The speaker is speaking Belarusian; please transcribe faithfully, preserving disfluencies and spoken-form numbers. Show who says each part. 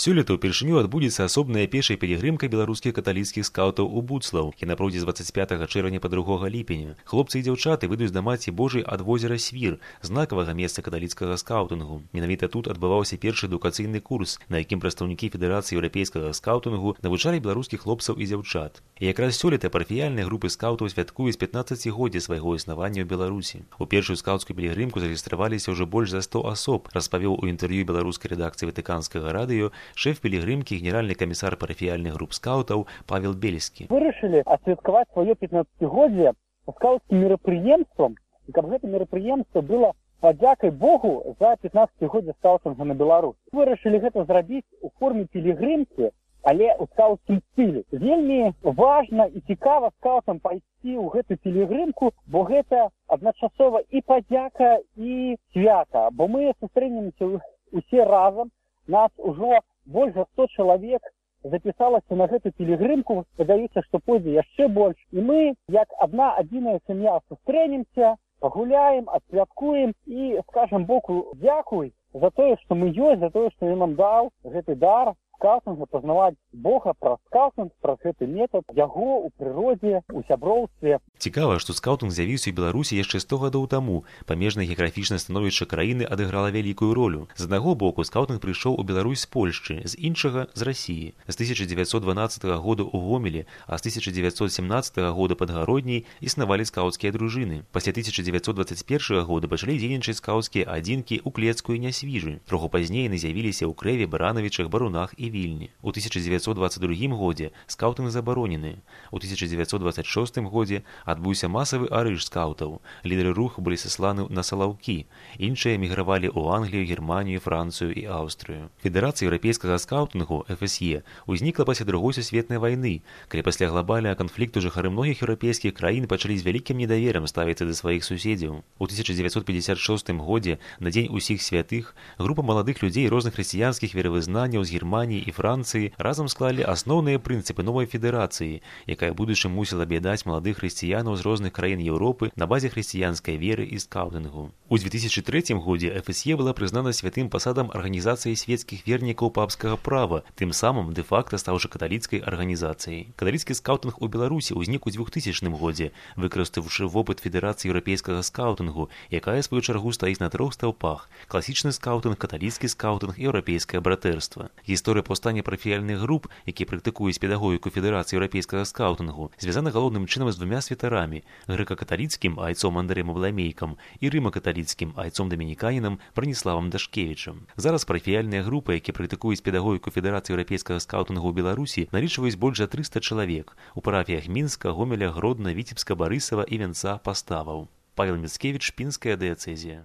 Speaker 1: Сёлета ўпершыню адбудзецца асобная пешая пілігрымка беларускіх каталіцкіх скаўтаў у Буцлаў, яна пройдзе з дваццаць пятага чэрвеня па другога ліпеня. Хлопцы і дзяўчаты выйдуць да Маці Божай ад возера Свір, знакавага месца каталіцкага скаўтынгу. Менавіта тут адбываўся першы адукацыйны курс, на якім прадстаўнікі Федэрацыі еўрапейскага скаўтынгу навучалі беларускіх хлопцаў і дзяўчат. І якраз сёлета парафіяльныя групы скаўтаў святкуюць пятнаццацігоддзе свайго існавання ў Беларусі. У першую скаўцкую пілігрымку зарэгістраваліся ўжо больш за сто асоб, распавёў у інтэрв'ю беларускай рэдакцыі ватыканскага радыё шэф пілігрымкі, генеральны камісар парафіяльных груп скаўтаў Павел Бельскі.
Speaker 2: Вырашылі адсвяткаваць сваё пятнаццацігоддзе скаўцкім мерапрыемствам, і каб гэта мерапрыемства было падзякай Богу за пятнаццацігоддзе скаўтынгу на Беларусі. Вырашылі гэта зрабіць у форме пілігрымкі, але ў скаўцкім стылі. Вельмі важна і цікава скаўтам пайсці ў гэту пілігрымку, бо гэта адначасова і падзяка, і свята, бо мы сустрэнемся усе разам. Нас ужо больш за сто чалавек запісалася на гэту пілігрымку, спадзяюся, што пойдзе яшчэ больш. І мы, як адна адзіная сям'я, сустрэнемся, пагуляем, адсвяткуем і скажам Богу дзякуй за тое, што мы ёсць, за тое, што ён нам даў гэты дар скаўтынга, пазнаваць Бога праз скаўтынг, праз гэты метад, яго ў прыродзе, у сяброўстве.
Speaker 1: Цікава, што скаўтынг з'явіўся ў Беларусі яшчэ сто гадоў таму. Памежнае геаграфічнае становішча краіны адыграла вялікую ролю. З аднаго боку, скаўтынг прыйшоў у Беларусь з Польшчы, з іншага з Расіі. З тысяча дзевяцьсот дванаццатага года ў Гомелі, а з тысяча дзевяцьсот семнаццатага года пад Гародняй існавалі скаўцкія дружыны. Пасля тысяча дзевяцьсот дваццаць першага года пачалі дзейнічаць скаўцкія адзінкі ў Клецку і Нясвіжы. Троху пазней яны з'явіліся ў Крэве, Баранавічах, Барунах і Вільні. У тысяча дзевяцьсот дваццаць другім годзе скаўтынг забаронены. У тысяча дзевяцьсот дваццаць шостым годзе адбыўся масавы арыш скаўтаў. Лідары руху былі сасланы на Салаўкі. Іншыя эмігравалі ў Англію, Германію, Францыю і Аўстрыю. Федэрацыя еўрапейскага скаўтынгу эф эс е ўзнікла пасля другой сусветнай вайны, калі пасля глобальнага канфлікту жыхары многіх еўрапейскіх краін пачалі з вялікім недаверам ставіцца да сваіх суседзяў. У тысяча дзевяцьсот пятьдесят шостым годзе, на дзень усіх святых, група маладых людзей розных хрысціянскіх веравызнанняў з Германіі і Францыі разам склалі асноўныя прынцыпы новай федэрацыі, якая будучым мусіла аб'яднаць маладых хрысціянаў з розных краін Еўропы на базе хрысціянскай веры і скаўтынгу. У дзве тысячы трэцім годзе эф эс е была прызнана святым пасадам арганізацыі свецкіх вернікаў папскага права, тым самым дэ-факта стаўшы каталіцкай арганізацыяй. Каталіцкі скаўтынг у Беларусі ўзнік у двухтысячным годзе, выкарыстаўшы вопыт Федэрацыі еўрапейскага скаўтынгу, якая, сваю чаргу, стаіць на трох стаўпах: класічны скаўтынг, каталіцкі скаўтынг і еўрапейскае братэрства. Гісторыя паўстання парафіяльных груп, якія практыкуюць педагогіку Федэрацыі еўрапейскага скаўтынгу, звязана галоўным чынам з двумя святарамі: грэка-каталіцкім айцом Андрэем Абламейкам і рыма-каталіцкім айцом дамініканінам Браніславам Дашкевічам. Зараз парафіяльныя групы, якія практыкуюць педагогіку Федэрацыі еўрапейскага скаўтынгу ў Беларусі, налічваюць больш за трыста чалавек у парафіях Мінска, Гомеля, Гродна, Віцебска, Барысава і Вянца, Паставаў. Павел Міцкевіч, Пінская дыяцэзія.